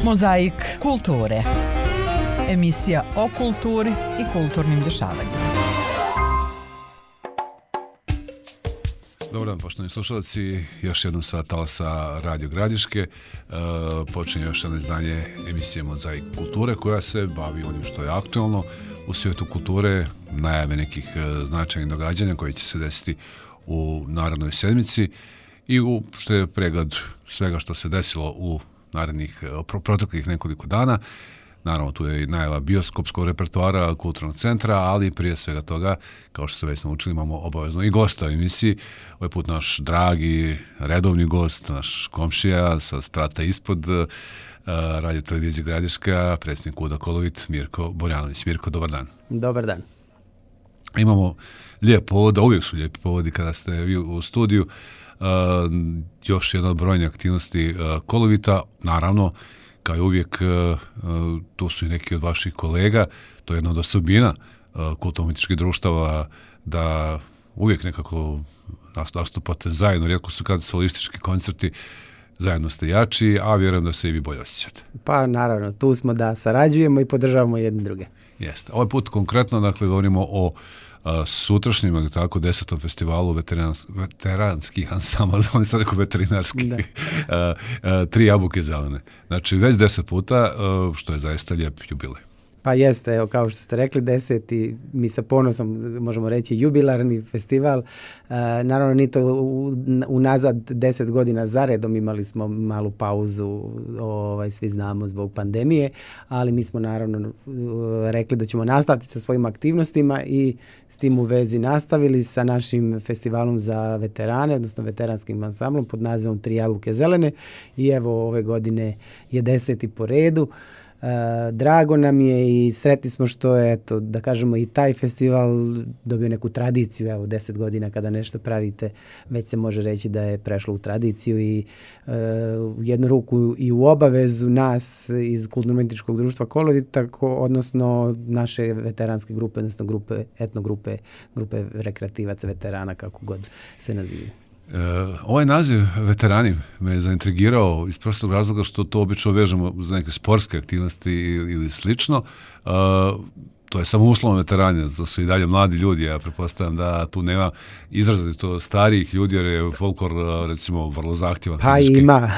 Mozaik kulture. Emisija o kulturi i kulturnim dešavanjima. Dobar dan, poštovani slušalci, još jednom sa talasa Radio Gradiške. Počinje još jedno izdanje emisije Mozaik kulture koja se bavi onim što je aktualno u svijetu kulture, najave nekih značajnih događanja koji će se desiti u narednoj sedmici i što je pregled svega što se desilo u narednih proteklih nekoliko dana. Naravno, tu je i najava bioskopskog repertoara Kulturnog centra, ali prije svega toga, kao što ste već naučili, imamo obavezno i gosta u emisiji. Ovaj put naš dragi, redovni gost, naš komšija sa sprata ispod Radio televizije Gradiška, predsjednik UDA Kolovit, Mirko Borjanović. Mirko, dobar dan. Dobar dan. Imamo lijep povod, uvijek su lijepi povodi kada ste vi u studiju. Još jedna od brojne aktivnosti Kolovita, naravno, kao i uvijek, tu su i neki od vaših kolega, to je jedna od osobina kulturno-umjetničkih društava, da uvijek nekako nastupate zajedno, rijetko su kad solistički koncerti, zajedno ste jači, a vjerujem da se i vi bolje osjećate. Pa naravno, tu smo da sarađujemo i podržavamo jedne druge. Jeste. Ovaj put konkretno, dakle, govorimo o sutrašnjem, ali tako, 10. festivalu veteranskih ansambla, on sam rekao veterinarski, Tri jabuke zelene. Znači, već 10 puta, što je zaista lijep jubilej. Pa jeste, evo, kao što ste rekli, 10. mi sa ponosom možemo reći jubilarni festival. Naravno, ni to unazad 10 godina zaredom imali smo malu pauzu, svi znamo, zbog pandemije, ali mi smo naravno rekli da ćemo nastaviti sa svojim aktivnostima i s tim u vezi nastavili sa našim festivalom za veterane, odnosno veteranskim ansamblom pod nazivom Tri jabuke zelene i evo ove godine je 10. po redu. Drago nam je i sretni smo što je, eto, da kažemo, i taj festival dobio neku tradiciju. Evo, 10 godina kada nešto pravite, već se može reći da je prešlo u tradiciju i u jednu ruku i u obavezu nas iz Kulturno-umjetničkog društva Kolovit, odnosno naše veteranske grupe, odnosno etnogrupe, grupe rekreativaca, veterana, kako god se nazivaju. Ovaj naziv veterani me je zaintrigirao iz prostog razloga što to obično vežemo uz neke sportske aktivnosti ili slično. To je samo uslovno veterani, to su i dalje mladi ljudi, ja pretpostavljam da tu nema izrazito starijih ljudi jer je folklor recimo vrlo zahtjevan. Pa fizički. Ima,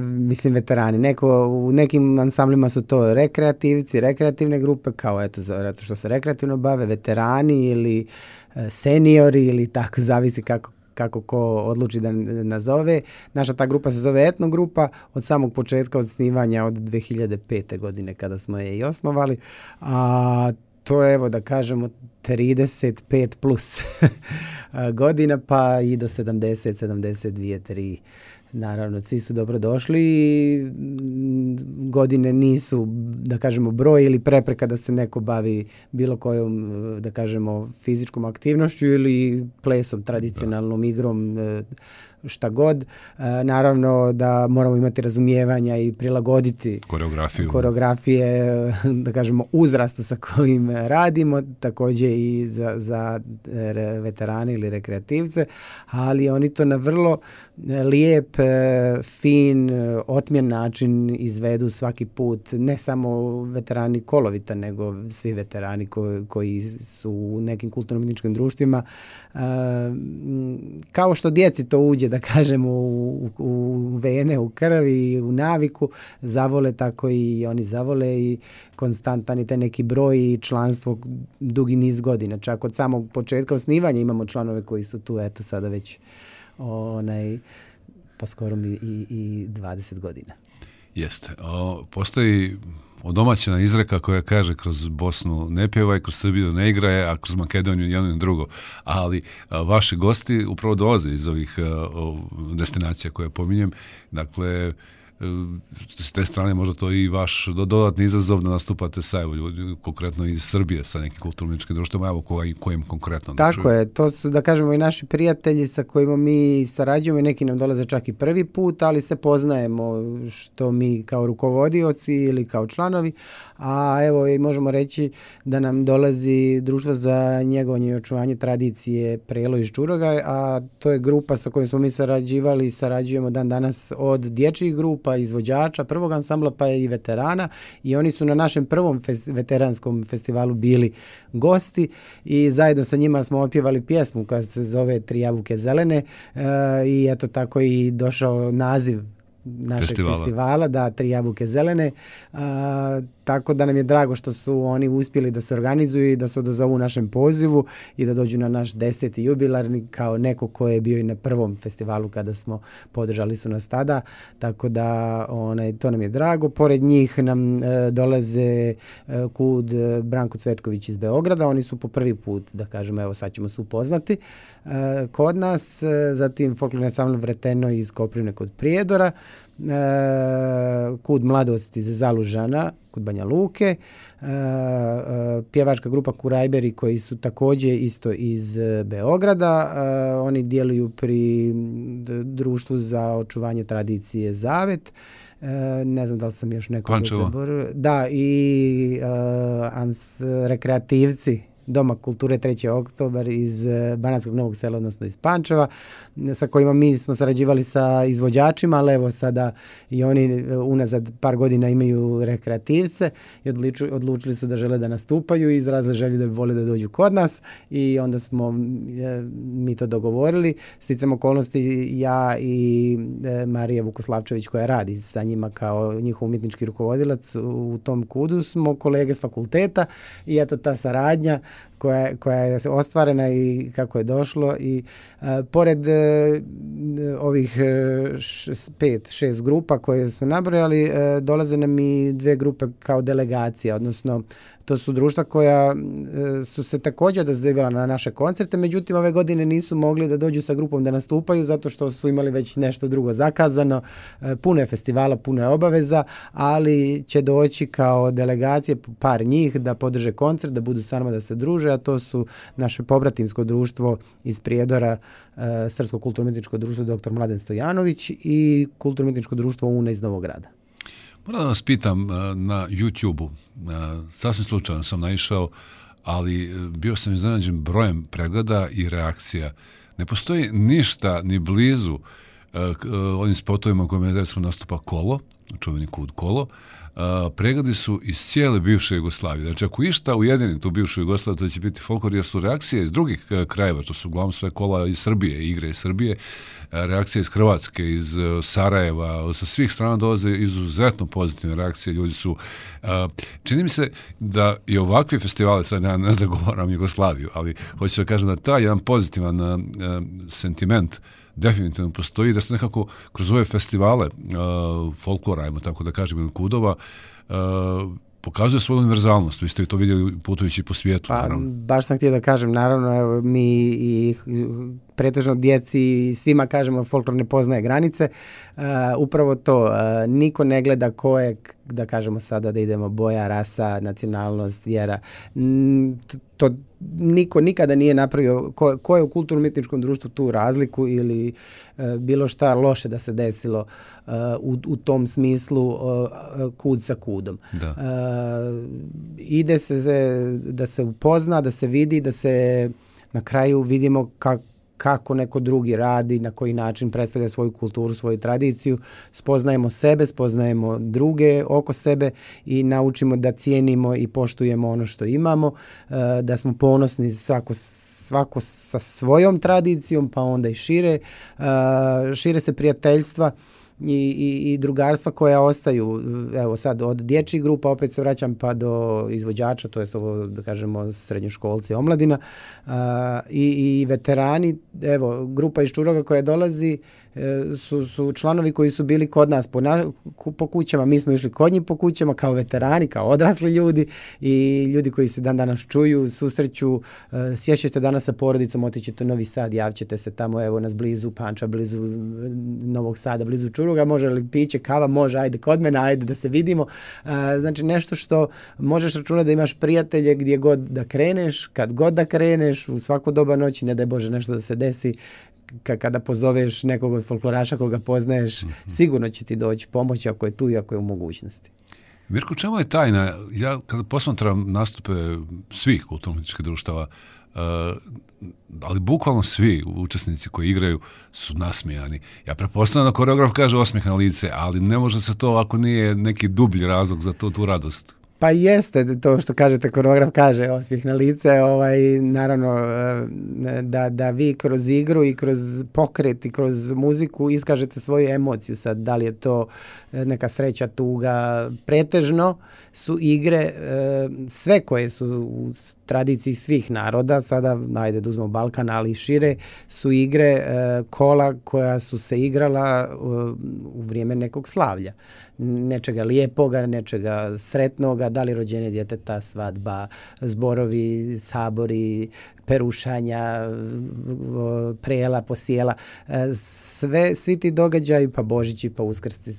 mislim veterani. U nekim ansamblima su to rekreativci, rekreativne grupe, kao eto, zato što se rekreativno bave, veterani ili seniori ili tako, zavisi kako ko odluči da nazove. Naša ta grupa se zove etnogrupa od samog početka osnivanja od 2005. godine kada smo je i osnovali, a to je, evo da kažemo, 35 plus godina pa i do 70, 72, 3. Naravno, svi su dobro došli i godine nisu, da kažemo, broj ili prepreka da se neko bavi bilo kojom, da kažemo, fizičkom aktivnošću ili plesom, tradicionalnom igrom, šta god. Naravno da moramo imati razumijevanja i prilagoditi koreografije, da kažemo, uzrastu sa kojim radimo, također i za veterane ili rekreativce, ali oni to na vrlo lijep, fin, otmjen način izvedu svaki put, ne samo veterani Kolovita, nego svi veterani koji su u nekim kulturno-umjetničkim društvima. Kao što djeci to uđe, da kažemo, u vene, u krvi, u naviku, zavole, tako i oni zavole i konstantan je taj neki broj i članstvo dugi niz godina. Čak od samog početka osnivanja imamo članove koji su tu, eto, sada već pa skoro i 20 godina. Jeste. Postoji odomaćena izreka koja kaže kroz Bosnu ne pjevaj, kroz Srbiju ne igraje, a kroz Makedoniju jedno i drugo. Ali vaši gosti upravo dolaze iz ovih destinacija koje pominjem. Dakle, s te strane možda to i vaš dodatni izazov da nastupate sa ljudi, konkretno iz Srbije, sa nekim kulturno-umjetničkim društvima, evo kojim konkretno. Tako je, to su, da kažemo, i naši prijatelji sa kojima mi sarađujemo, neki nam dolaze čak i prvi put, ali se poznajemo, što mi kao rukovodioci ili kao članovi, a evo i možemo reći da nam dolazi Društvo za njegovanje i očuvanje tradicije Prelo iz Čuroga, a to je grupa sa kojom smo mi sarađivali i sarađujemo dan danas od dječjih grupa grupa izvođača prvog ansambla pa i veterana i oni su na našem prvom veteranskom festivalu bili gosti i zajedno sa njima smo otpjevali pjesmu koja se zove Tri jabuke zelene i eto tako i došao naziv našeg festivala, da, Tri jabuke zelene, tako da nam je drago što su oni uspjeli da se organizuju i da se odazovu našem pozivu i da dođu na naš 10. jubilarni kao neko ko je bio i na prvom festivalu kada smo podržali su nas tada, tako da to nam je drago. Pored njih nam dolaze KUD Branko Cvetković iz Beograda, oni su po prvi put, da kažemo, evo sad ćemo se upoznati kod nas, zatim folklorni ansambl Vreteno iz Koprivne kod Prijedora, KUD Mladost iz Zalužana kod Banja Luke, pjevačka grupa Kurajberi koji su također isto iz Beograda, oni djeluju pri društvu za očuvanje tradicije Zavet, ne znam da li sam još nekog zaboravio. Da, i rekreativci Doma kulture 3. oktobar iz Banatskog Novog Sela, odnosno iz Pančeva, sa kojima mi smo sarađivali sa izvođačima, ali evo sada i oni unazad par godina imaju rekreativce i odlučili su da žele da nastupaju i izrazili želju da bi vole da dođu kod nas i onda smo mi to dogovorili. Sticam okolnosti, ja i Marija Vukoslavčević koja radi sa njima kao njihov umjetnički rukovodilac u tom KUD-u smo kolege s fakulteta i eto ta saradnja koja je ostvarena i kako je došlo i pored ovih 5-6 grupa koje smo nabrojali, dolaze nam i 2 grupe kao delegacija, odnosno to su društva koja su se također odazivala na naše koncerte, međutim ove godine nisu mogli da dođu sa grupom da nastupaju zato što su imali već nešto drugo zakazano, puno je festivala, puno je obaveza, ali će doći kao delegacije par njih da podrže koncert, da budu s nama da se druže, a to su naše pobratimsko društvo iz Prijedora, Srpsko kulturno-umjetničko društvo dr. Mladen Stojanović i kulturno-umjetničko društvo UNA iz Novog Grada. Moram da vas pitam, na YouTube-u, sasvim slučajno sam naišao, ali bio sam iznenađen brojem pregleda i reakcija. Ne postoji ništa ni blizu onim spotovima u kojima recimo nastupa Kolo, čuveni KUD Kolo. Pregledi su iz cijele bivše Jugoslavije. Znači, ako išta ujedini tu bivšu Jugoslaviju, to će biti folklor, jer su reakcije iz drugih krajeva, to su uglavnom sve kola iz Srbije, igre iz Srbije, reakcije iz Hrvatske, iz Sarajeva, sa svih strana dolaze izuzetno pozitivne reakcije, ljudi su... Čini mi se da i ovakvi festivali, sad ja ne zagovaram Jugoslaviju, ali hoću da kažem da taj jedan pozitivan sentiment definitivno postoji, da se nekako kroz ove festivale folklora, ajmo tako da kažem, ili KUD-ova, pokazuje svoju univerzalnost. Vi ste to vidjeli putujući po svijetu. Pa, baš sam htio da kažem, naravno, evo, mi i pretežno djeci i svima kažemo folklor ne poznaje granice. Upravo to, niko ne gleda ko je, da kažemo sada da idemo boja, rasa, nacionalnost, vjera. To niko nikada nije napravio, ko je u kulturno-umjetničkom društvu tu razliku ili bilo šta loše da se desilo u tom smislu KUD sa KUD-om. Ide se da se upozna, da se vidi, da se na kraju vidimo kako neko drugi radi, na koji način predstavlja svoju kulturu, svoju tradiciju, spoznajemo sebe, spoznajemo druge oko sebe i naučimo da cijenimo i poštujemo ono što imamo, da smo ponosni svako sa svojom tradicijom, pa onda i šire se prijateljstva i drugarstva koja ostaju, evo sad od dječjih grupa, opet se vraćam pa do izvođača, to je ovo da kažemo srednjoškolci, omladina i veterani, evo grupa iz Čuroga koja dolazi su članovi koji su bili kod nas po kućama, mi smo išli kod njih po kućama kao veterani, kao odrasli ljudi i ljudi koji se dan danas čuju, susreću, sjećate danas sa porodicom, otićete u Novi Sad, javćete se tamo, evo nas blizu Panča, blizu Novog Sada, blizu Čuruga, može li piće, kava, može, ajde kod mene, ajde da se vidimo. Znači nešto što možeš računati da imaš prijatelje gdje god da kreneš, kad god da kreneš, u svako doba noći, ne daj Bože nešto da se desi, kada pozoveš nekog od folkloraša koga poznaješ, sigurno će ti doći pomoć ako je tu i ako je u mogućnosti. Mirko, čemu je tajna? Ja kada posmatram nastupe svih kulturno-umjetničkih društava, ali bukvalno svi učesnici koji igraju su nasmijani. Ja pretpostavljam da koreograf kaže osmijeh na lice, ali ne može se to ako nije neki dublji razlog za tu radost. Pa jeste to što kažete, koreograf kaže osmijeh na lice, naravno da vi kroz igru i kroz pokret i kroz muziku iskažete svoju emociju. Sad, da li je to neka sreća, tuga, pretežno su igre sve koje su u tradiciji svih naroda, sada ajde da uzmemo Balkan, ali i šire, su igre kola koja su se igrala u vrijeme nekog slavlja. Nečega lijepoga, nečega sretnoga, da li rođenje djeteta, svadba, zborovi, sabori, perušanja, prela, posijela, svi ti događaji, pa Božići, pa Uskrsci,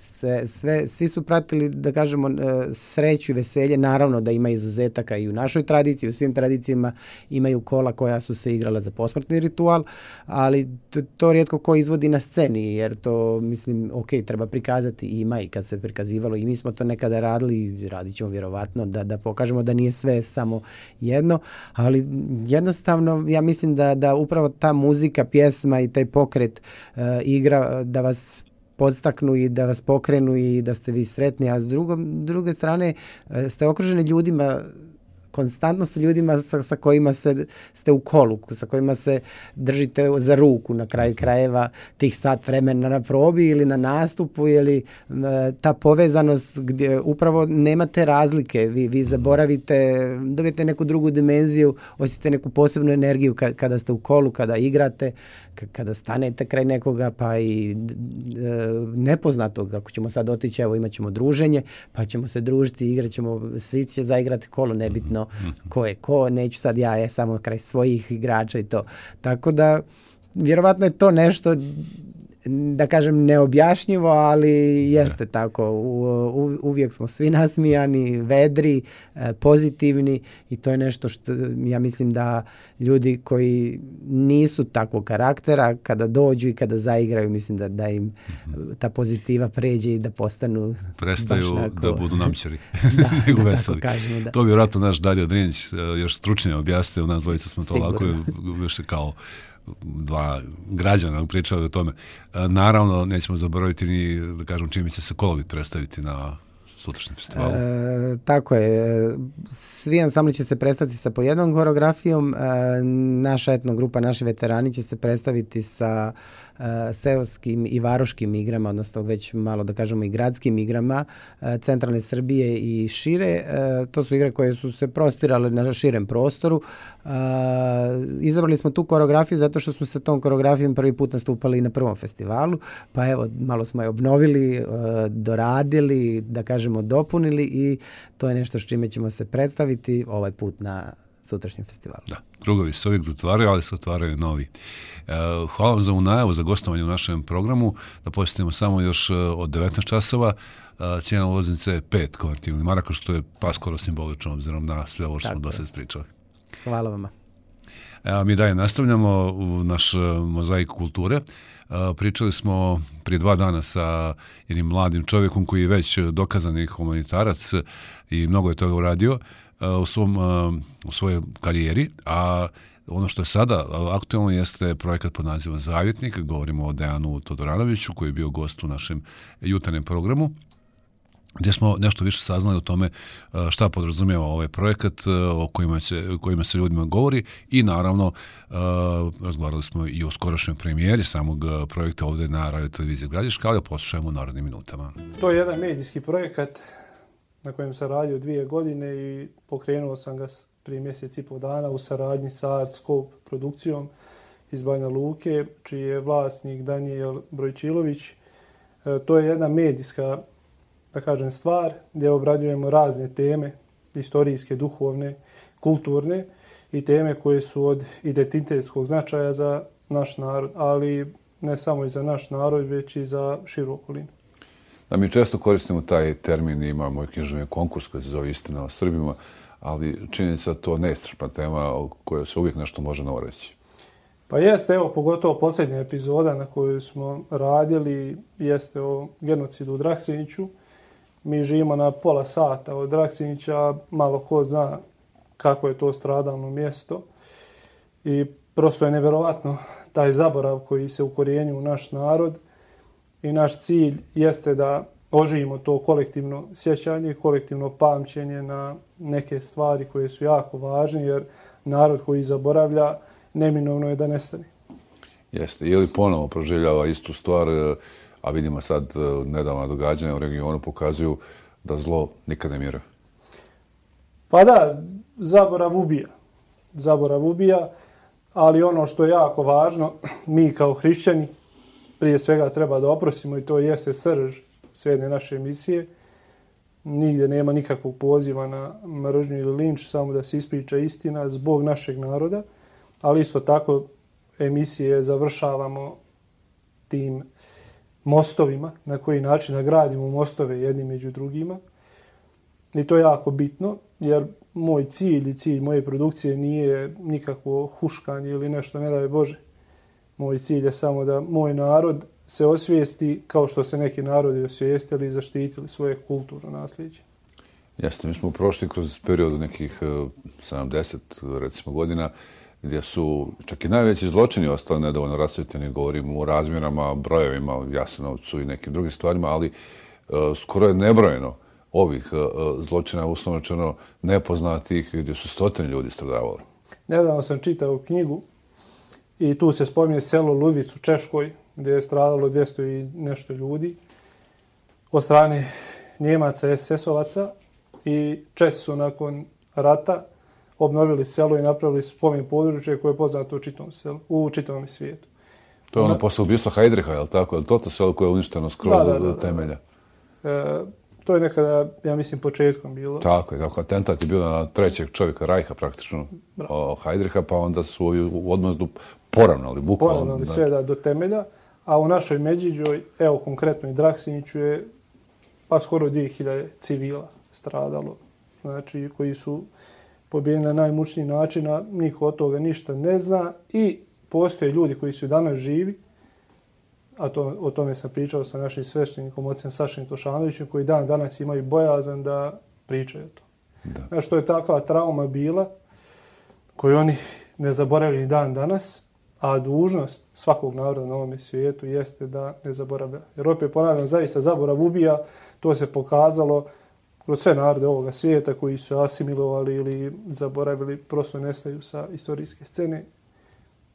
svi su pratili, da kažemo, sreću i veselje. Naravno da ima izuzetaka i u našoj tradiciji, u svim tradicijama imaju kola koja su se igrala za posmrtni ritual, ali to rijetko ko izvodi na sceni, jer to, mislim, treba prikazati, ima i kad se prikazivalo i mi smo to nekada radili i radit ćemo vjerovatno da pokažemo da nije sve samo jedno, ali jednostavno ja mislim da upravo ta muzika, pjesma i taj pokret igra da vas podstaknu i da vas pokrenu i da ste vi sretni, a s druge strane ste okruženi ljudima, konstantno sa ljudima sa kojima ste u kolu, sa kojima se držite za ruku na kraju krajeva tih sat vremena na probi ili na nastupu, ili ta povezanost gdje upravo nemate razlike, vi zaboravite, dobijete neku drugu dimenziju, osjetite neku posebnu energiju kada ste u kolu, kada igrate, kada stanete kraj nekoga, pa i nepoznatog, ako ćemo sad otići, evo imat ćemo druženje, pa ćemo se družiti, igrat ćemo, svi će zaigrati kolo, nebitno ko je ko, neću sad ja samo kraj svojih igrača i to. Tako da, vjerovatno je to nešto, da kažem, neobjašnjivo, ali jeste tako. Uvijek smo svi nasmijani, vedri, pozitivni i to je nešto što ja mislim da ljudi koji nisu takvog karaktera, kada dođu i kada zaigraju, mislim da im ta pozitiva pređe i da prestaju da budu namćari. Da tako kažemo, da. To bi vjerojatno naš Dario Drinjić još stručnije objasnio, nas dvojica smo to lako više kao dva građana pričali o tome. Naravno, nećemo zaboraviti ni, da kažem, čime će se kolovi predstaviti na sutrašnjem festivalu. Tako je. Svi ansambli će se predstaviti sa po jednom koreografijom. Naša etno grupa, naši veterani će se predstaviti sa seoskim i varoškim igrama, odnosno već malo da kažemo i gradskim igrama centralne Srbije i šire. To su igre koje su se prostirale na širem prostoru. Izabrali smo tu koreografiju zato što smo se tom koreografijom prvi put nastupali na prvom festivalu, pa evo malo smo je obnovili, doradili, da kažemo dopunili i to je nešto s čime ćemo se predstaviti ovaj put na sutrašnjem festivalu. Da, krugovi se uvijek zatvaraju, ali se otvaraju novi. Hvala vam za ovu najavu, za gostovanje u našem programu. Da posjetimo samo još od 19 časova. Cijena ulaznice je 5 konvertibilnih maraka, što je pa skoro simbolično obzirom na sve ovo što smo do sad pričali. Hvala vama. Evo, mi dalje nastavljamo u naš mozaik kulture. Pričali smo prije 2 dana sa jednim mladim čovjekom koji je već dokazani humanitarac i mnogo je toga uradio u svojoj karijeri, a ono što je sada aktualno jeste projekat pod nazivom Zavjetnik. Govorimo o Dejanu Todoranoviću koji je bio gost u našem jutarnjem programu, gdje smo nešto više saznali o tome šta podrazumijeva ovaj projekat, o kojima se ljudima govori i naravno razgovarali smo i o skorašnjoj premijeri samog projekta ovdje na Radio Televiziji Gradiška, ali poslušajmo u narednim minutama. To je jedan medijski projekat na kojem sam radio 2 godine i pokrenuo sam ga prije mjesec i pol dana u saradnji sa Art Scope produkcijom iz Banja Luke, čiji je vlasnik Danijel Brojčilović. To je jedna medijska, da kažem, stvar gdje obrađujemo razne teme, istorijske, duhovne, kulturne i teme koje su od identitetskog značaja za naš narod, ali ne samo i za naš narod, već i za širu okolinu. Da, mi često koristimo taj termin, imamo i književni konkurs koji se zove Istina o Srbima, ali činjenica to neiscrpna tema o kojoj se uvijek nešto može novo reći. Pa jeste, evo, pogotovo posljednja epizoda na kojoj smo radili jeste o genocidu u Draksiniću. Mi živimo na pola sata od Draksinića, malo ko zna kako je to stradalno mjesto. I prosto je nevjerovatno taj zaborav koji se ukorijenio u naš narod i naš cilj jeste da oživimo to kolektivno sjećanje, kolektivno pamćenje na neke stvari koje su jako važne, jer narod koji zaboravlja neminovno je da nestane. Jeste. Je li ponovo proživljava istu stvar, a vidimo sad nedavna događanja u regionu pokazuju da zlo nikad ne miruje? Pa da, zaborav ubija. Zaborav ubija, ali ono što je jako važno, mi kao hrišćani prije svega treba da oprostimo i to jeste srž sve jedne naše emisije. Nigdje nema nikakvog poziva na mržnju ili linč, samo da se ispriča istina zbog našeg naroda, ali isto tako emisije završavamo tim mostovima, na koji način da gradimo mostove jedni među drugima. I to je jako bitno, jer moj cilj i cilj moje produkcije nije nikakvo huškanje ili nešto, ne daj Bože. Moj cilj je samo da moj narod se osvijesti kao što se neki narodi osvijestili i zaštitili svoje kulturno nasljeđe. Jeste, mi smo prošli kroz periodu nekih 70 recimo godina gdje su čak i najveći zločini ostali nedovoljno rasvjetljeni, govorimo o razmjerama, brojevima, Jasenovcu i nekim drugim stvarima, ali skoro je nebrojeno ovih zločina, uslovno rečeno nepoznatih, gdje su stotine ljudi stradavali. Nedavno sam čitao knjigu i tu se spominje selo Ludic u Češkoj, gdje je stradalo 200 i nešto ljudi od strane Njemaca, SS-ovaca, i Česi su nakon rata obnovili selo i napravili spomen područje koje je poznato u čitavom svijetu. To je ono posle ubistva Heidricha, je li tako? Je li to selo koje je uništeno skroz do temelja? To je nekada, ja mislim, početkom bilo. Tako je, tako. Atentat je bio na trećeg čovjeka Rajha praktično, Heidricha, pa onda su ovi u odmazdu poravnali, bukvalno. Poravnali sve do temelja, a u našoj Međiđoj, evo konkretno i Draksiniću je pa skoro 2000 civila stradalo, znači koji su pobijeni na najmučniji način, a niko od toga ništa ne zna i postoje ljudi koji su danas živi, a o tome sam pričao sa našim sveštenikom, ocem Sašem Tošanovićem, koji danas imaju bojazan da pričaju o to. Znači, to je takva trauma bila koju oni ne zaboravili dan danas, a dužnost svakog naroda na ovom svijetu jeste da ne zaboravlja. Jer opet ponavljam, zaista zaborav ubija, to se pokazalo kroz sve narode ovoga svijeta koji su asimilovali ili zaboravili, prosto nestaju sa istorijske scene.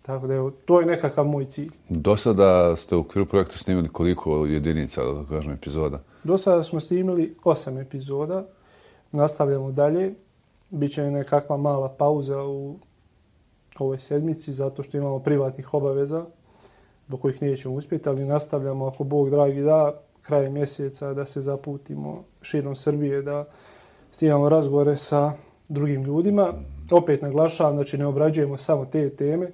Tako da evo, to je nekakav moj cilj. Do sada ste u okviru projekta snimili koliko jedinica, da kažem, epizoda? Do sada smo snimili 8 epizoda. Nastavljamo dalje. Biće nekakva mala pauza u ovoj sedmici, zato što imamo privatnih obaveza do kojih nećemo uspjeti, ali nastavljamo, ako Bog dragi da, krajem mjeseca da se zaputimo širom Srbije, da snimamo razgovore sa drugim ljudima. Opet naglašavam, znači ne obrađujemo samo te teme.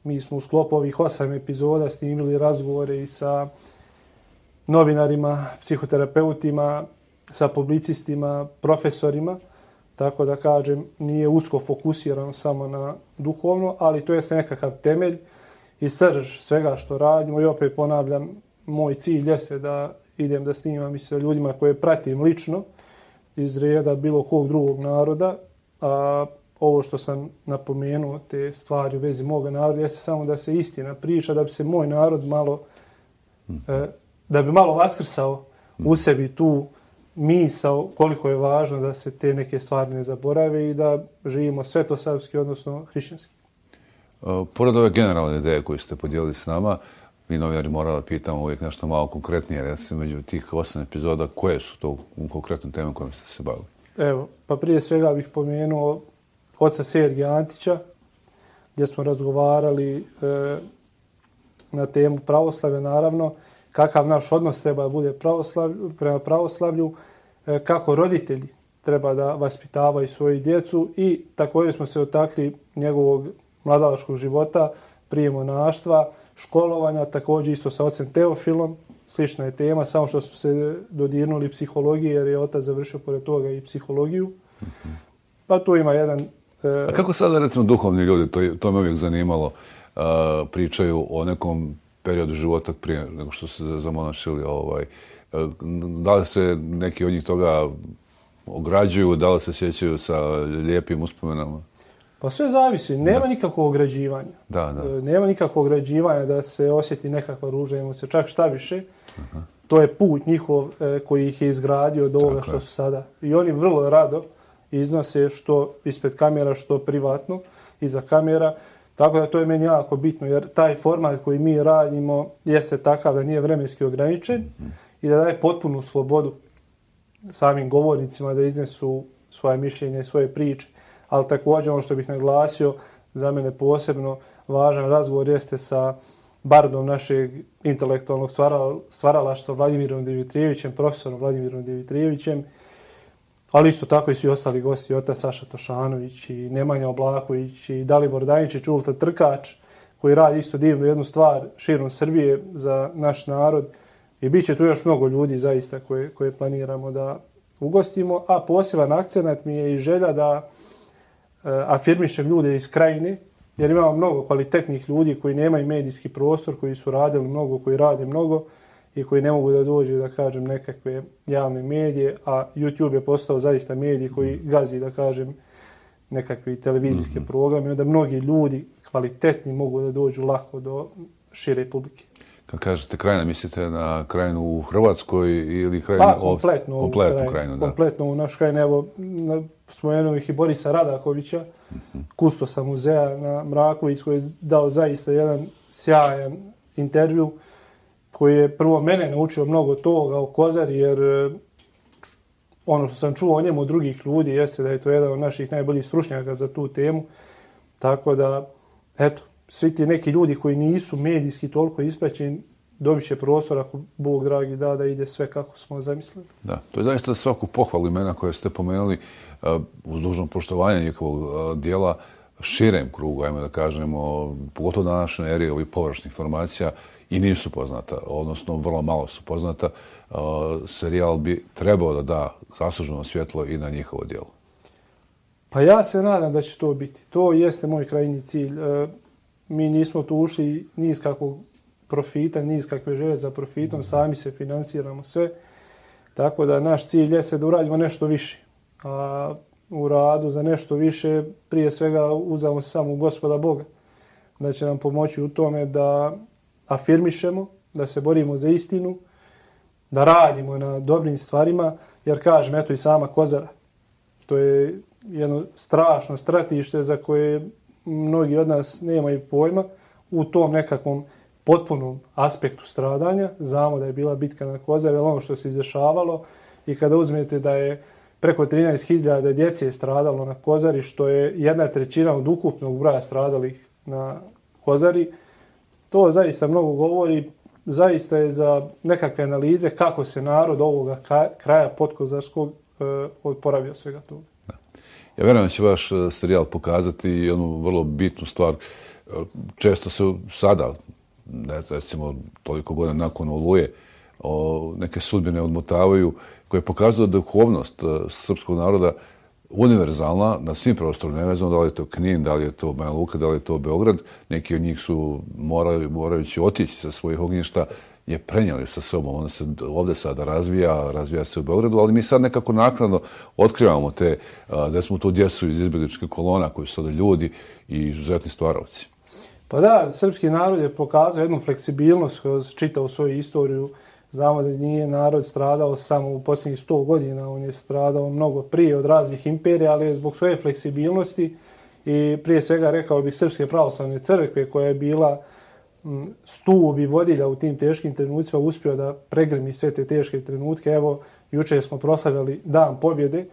Mi smo u sklopu ovih 8 epizoda snimili razgovore i sa novinarima, psihoterapeutima, sa publicistima, profesorima. Tako da kažem, nije usko fokusirano samo na duhovno, ali to je nekakav temelj i srž svega što radimo. I opet ponavljam, moj cilj jeste da idem da snimam i sa ljudima koje pratim lično iz reda bilo kog drugog naroda, a ovo što sam napomenuo, te stvari u vezi moga naroda, jeste samo da se istina priča, da bi se moj narod malo, da bi malo vaskrsao u sebi tu misao koliko je važno da se te neke stvari ne zaborave i da živimo svetosavski, odnosno hrišćanski. Pored ove generalne ideje koje ste podijelili s nama, mi novinari morali pitamo uvijek nešto malo konkretnije, recimo među tih 8 epizoda, koje su to konkretne teme kojim ste se bavili? Evo, pa prije svega bih pomenuo oca Sergija Antića, gdje smo razgovarali na temu pravoslavlja, naravno, kakav naš odnos treba da bude prema pravoslavlju, kako roditelji treba da vaspitavaju svoju djecu i također smo se dotakli njegovog mladalačkog života, prije monaštva, školovanja, također isto sa ocem Teofilom, slična je tema, samo što su se dodirnuli psihologije, jer je otac završio pored toga i psihologiju. Pa tu ima jedan... A kako sada, recimo, duhovni ljudi, to me uvijek zanimalo, pričaju o nekom periodu života prije nego što se zamonašili, da li se neki od njih toga ograđuju, da li se sjećaju sa lijepim uspomenama? Pa sve zavisi, nema nikakvog ograđivanja. Nema nikakvog ograđivanja da se osjeti nekakva ružna emocija, čak šta više. To je put njihov koji ih je izgradio od ovoga što su sada. I oni vrlo rado iznose što ispred kamera, što privatno, iza kamera. Tako da to je meni jako bitno, jer taj format koji mi radimo jeste takav da nije vremenski ograničen i da daje potpunu slobodu samim govornicima da iznesu svoje mišljenje i svoje priče. Ali također ono što bih naglasio, za mene posebno važan razgovor jeste sa bardom našeg intelektualnog stvaralaštva Vladimirom Dimitrijevićem, profesorom Vladimirom Dimitrijevićem, ali isto tako i svi ostali gosti, otac Saša Tošanović i Nemanja Oblaković i Dalibor Daničić, Ultra Trkač, koji radi isto divnu jednu stvar širom Srbije za naš narod. I bit će tu još mnogo ljudi zaista koje planiramo da ugostimo, a poseban akcenat mi je i želja da afirmišem ljude iz krajine, jer imamo mnogo kvalitetnih ljudi koji nemaju medijski prostor, koji su radili mnogo, koji rade mnogo i koji ne mogu da dođu, da kažem, nekakve javne medije, a YouTube je postao zaista medij koji gazi, da kažem, nekakvi televizijske programe, onda mnogi ljudi kvalitetni mogu da dođu lako do šire publike. Kad kažete krajina, mislite na krajinu u Hrvatskoj ili krajinu... Pa, kompletnu krajinu. Kompletno u naš krajinu. Evo, spomenuo ih i Borisa Radakovića, kustosa muzeja na Mraković, koji je dao zaista jedan sjajan intervju, koji je prvo mene naučio mnogo toga o Kozari, jer ono što sam čuo o njemu od drugih ljudi jeste da je to jedan od naših najboljih stručnjaka za tu temu. Tako da, eto, svi ti neki ljudi koji nisu medijski toliko ispraćeni dobit će prostor ako Bog dragi da ide sve kako smo zamislili. Da, to je zaista svaku pohvalu imena koje ste pomenuli uz dužno poštovanje njihovog dijela širem krugu, ajmo da kažemo, pogotovo na današnjoj eri ovih površnih informacija i nisu poznata, odnosno vrlo malo su poznata. Serijal bi trebao da da zasluženo svjetlo i na njihovo dijelo. Pa ja se nadam da će to biti. To jeste moj krajnji cilj. Mi nismo tu ušli ni iz kakvog profita, ni iz kakve želje za profitom, sami se finansiramo sve. Tako da naš cilj jeste da uradimo nešto više. A u radu za nešto više prije svega uzamo se samo u Gospoda Boga. Da će nam pomoći u tome da afirmišemo, da se borimo za istinu, da radimo na dobrim stvarima, jer kažem, eto i sama Kozara. To je jedno strašno stratište za koje mnogi od nas nemaju pojma u tom nekakvom potpunom aspektu stradanja. Znamo da je bila bitka na Kozari, ali ono što se izdešavalo i kada uzmete da je preko 13.000 djece stradalo na Kozari, što je 1/3 od ukupnog broja stradalih na Kozari, to zaista mnogo govori. Zaista je za nekakve analize kako se narod ovoga kraja podkozarskog oporavio svega toga. Ja vjerujem da će vaš serijal pokazati jednu vrlo bitnu stvar. Često se sada, recimo toliko godina nakon Oluje, neke sudbine odmotavaju koje pokazuju da je duhovnost srpskog naroda univerzalna na svim prostorima, nevezano da li je to Knin, da li je to Banja Luka, da li je to Beograd. Neki od njih su morajući otići sa svojih ognjišta je prenijeli sa sobom. Ona se ovdje sada razvija se u Beogradu, ali mi sad nekako naknadno otkrivamo te, da smo tu djecu iz izbjegličkih kolona koji su sada ljudi i izuzetni stvaravci. Pa da, srpski narod je pokazao jednu fleksibilnost kroz čitavu svoju istoriju. Znamo da nije narod stradao samo u posljednjih 100 godina, on je stradao mnogo prije od raznih imperija, ali je zbog svoje fleksibilnosti i prije svega rekao bih Srpske pravoslavne crkve koja je bila stup i vodilja u tim teškim trenucima uspio da pregrmi sve te teške trenutke. Evo, jučer smo proslavljali Dan pobjede,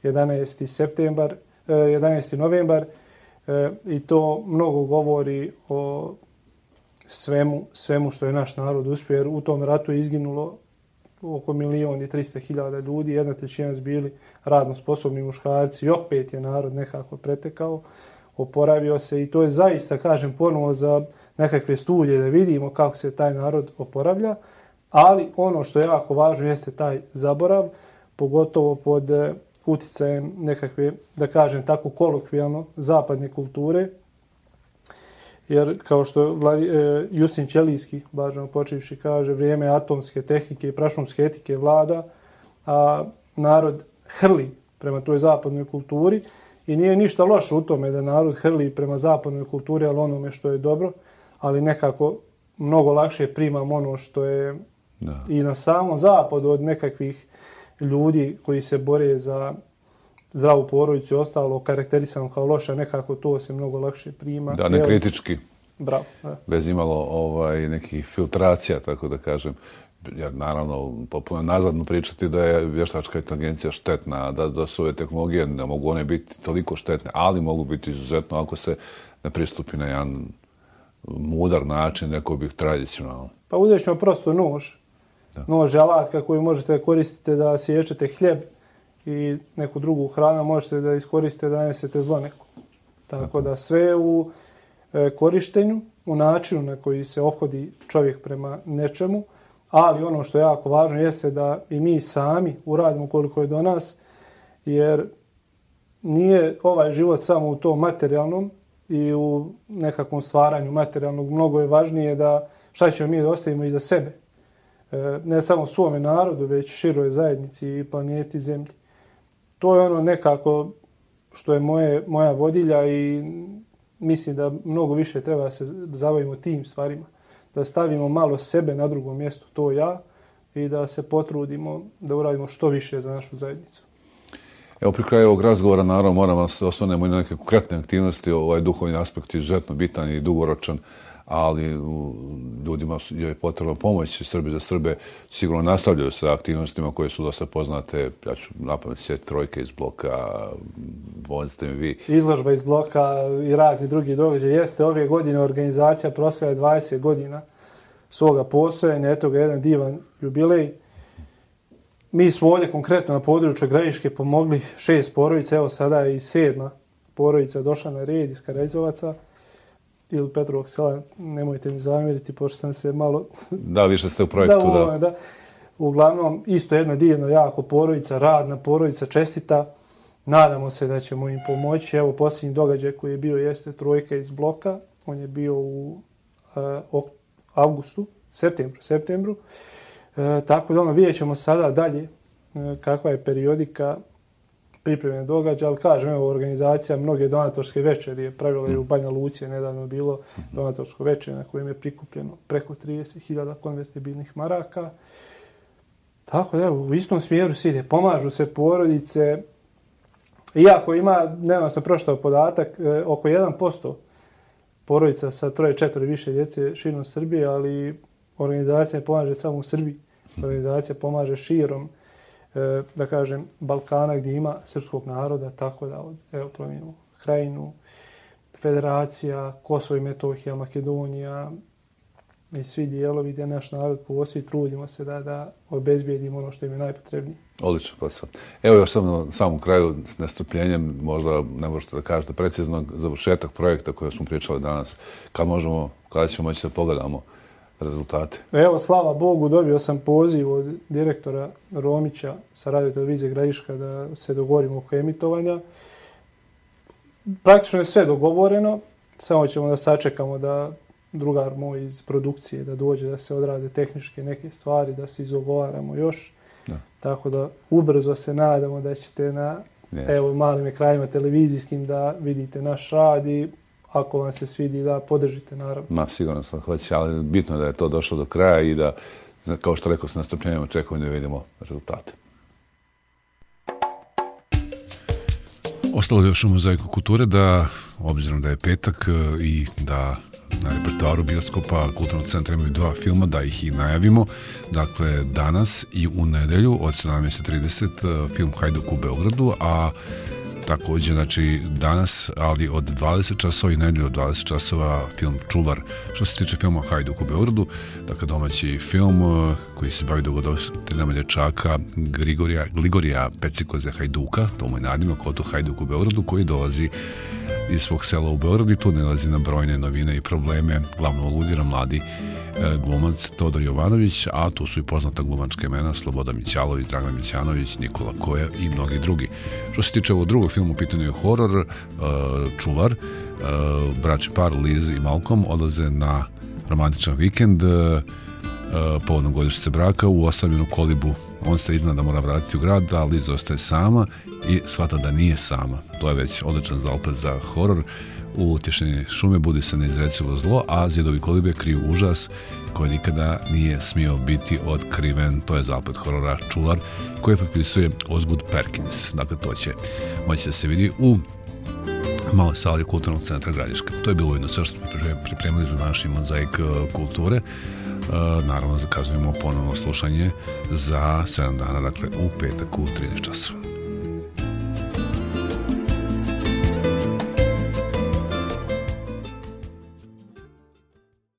11. novembar, i to mnogo govori o svemu što je naš narod uspio, jer u tom ratu je izginulo oko 1.300.000 ljudi, 1/3 su bili radno sposobni muškarci i opet je narod nekako pretekao, oporavio se i to je zaista, kažem, ponovo za nekakve studije da vidimo kako se taj narod oporavlja, ali ono što je jako važno jeste taj zaborav, pogotovo pod uticajem nekakve, da kažem tako kolokvijalno, zapadne kulture, jer kao što Justin Ćelijski, važno počivši, kaže, vrijeme atomske tehnike i prašumske etike vlada, a narod hrli prema toj zapadnoj kulturi I nije ništa loše u tome da narod hrli prema zapadnoj kulturi, ali onome što je dobro, ali nekako mnogo lakše primam ono što je i na samom zapadu od nekakvih ljudi koji se bore za zdravu porodicu i ostalo karakterisano kao loše, nekako to se mnogo lakše prima. Da, ne kritički. Bravo. Da. Bez imalo nekih filtracija, tako da kažem. Jer naravno, popuno nazadno pričati da je vještačka inteligencija štetna, da su ove tehnologije, ne mogu one biti toliko štetne, ali mogu biti izuzetno ako se ne pristupi na jedan mudar način, rekao bih tradicionalno. Pa uzet ćemo prosto nož. Nož je alatka koju možete koristiti da sječete hljeb i neku drugu hranu, možete da iskoristite da nesete zlo neko. Tako da sve u korištenju, u načinu na koji se ophodi čovjek prema nečemu, ali ono što je jako važno jeste da i mi sami uradimo koliko je do nas, jer nije ovaj život samo u tom materijalnom i u nekakvom stvaranju materijalnog. Mnogo je važnije da šta ćemo mi da ostavimo iza sebe. Ne samo svome narodu, već široj zajednici i planeti Zemlji. To je ono nekako što je moja vodilja i mislim da mnogo više treba se zabavimo tim stvarima. Da stavimo malo sebe na drugom mjestu, to ja, i da se potrudimo da uradimo što više za našu zajednicu. Evo, pri kraju ovog razgovora, naravno, moramo se osvrnemo i na neke konkretne aktivnosti. Ovaj duhovni aspekt je izuzetno bitan i dugoročan, ali ljudima je potrebna pomoć. Srbi za Srbe sigurno nastavljaju sa aktivnostima koje su dosta poznate. Ja ću napamet sjetiti Trojke iz bloka, vozite mi vi. Izložba iz bloka i razni drugi događaji. Jeste ove godine organizacija proslaja 20 godina svoga postojanja. Eto ga jedan divan jubilej. Mi smo ovdje konkretno na području Gradiške pomogli 6 porodica. Evo sada je i 7. porodica došla na red iz Karađovaca ili Petrovog sela, nemojte mi zamjeriti, pošto sam se malo... Da, više ste u projektu, da. Uglavnom, isto jedna divna, jako porodica, radna porodica, čestita. Nadamo se da ćemo im pomoći. Evo, posljednji događaj koji je bio jeste Trojka iz bloka. On je bio u septembru. Tako da vidjet ćemo sada dalje kakva je periodika pripremne događaja, ali kažem, evo, organizacija mnoge donatorske večeri je pravila i u Banja Luci, je nedavno bilo donatorsko večer na kojem je prikupljeno preko 30.000 konvertibilnih maraka. Tako da, evo, u istom smjeru se ide, pomažu se porodice, iako ima, nedavno sam pročitao podatak, oko 1% porodica sa 3-4 više djece širom Srbije, ali organizacija pomaže samo u Srbiji. Organizacija pomaže širom, da kažem, Balkana gdje ima srpskog naroda, tako da, evo, Plemenu, Krajinu, Federacija, Kosovo i Metohija, Makedonija i svi dijelovi gdje naš narod postoji, trudimo se da obezbijedimo ono što im je najpotrebnije. Odlično posao. Evo još samo na samom kraju s nestrpljenjem, možda ne možete da kažete precizno, završetak projekta koje smo pričali danas, kada ćemo moći da pogledamo rezultate? Evo, slava Bogu, dobio sam poziv od direktora Romića sa radiotelevizije Gradiška da se dogovorimo oko emitovanja. Praktično je sve dogovoreno, samo ćemo da sačekamo da drugar moj iz produkcije da dođe, da se odrade tehničke neke stvari, da se izogovaramo još. Da. Tako da ubrzo se nadamo da ćete na malim ekranima televizijskim da vidite naš rad i ako vam se svidi da podržite, naravno. Sigurno sam hoće, ali bitno je da je to došlo do kraja i da, kao što rekao, s nastrpljenjem očekujemo da vidimo rezultate. Ostalo je još u Mozaiku kulture da, obzirom da je petak i da na repertoaru bioskopa Kulturnog centra imaju 2 filma, da ih i najavimo. Dakle, danas i u nedelju od 17:30 film Hajduk u Beogradu, a također, znači, danas, ali od 20 časova i nedelju od 20 časova film Čuvar. Što se tiče filma Hajduk u Beogradu, dakle, domaći film koji se bavi dogodovštinama dječaka Gligorija Pecikoze Hajduka, to mu je nadimak, Oto Hajduk u Beogradu, koji dolazi iz svog sela u Beogradu i tu nalazi na brojne novine i probleme. Glavno uludira mladi glumac Todor Jovanović, a tu su i poznata glumačka imena Sloboda Mićalović, Dragan Mićanović, Nikola Koja i mnogi drugi. Što se tiče ovog drugog filmu, u pitanju je horor, Čuvar. Bračni par Liz i Malcolm odlaze na romantičan vikend povodom godišnjice braka u osamljenu kolibu. On se izna da mora vratiti u grad, ali Liza ostaje sama i shvata da nije sama. To je već odličan zaopet za horor. U utješenje šume budi se neizrecivo zlo, a zidovi kolibe kriju užas koji nikada nije smio biti otkriven. To je zapad horora Čuvar koji potpisuje Osgood Perkins. Dakle, to će moći da se vidi u maloj sali Kulturnog centra Gradiška. To je bilo jedno sve što smo pripremili za naš mozaik kulture. Naravno, zakazujemo ponovno slušanje za 7 dana, dakle u petak u 13 časova.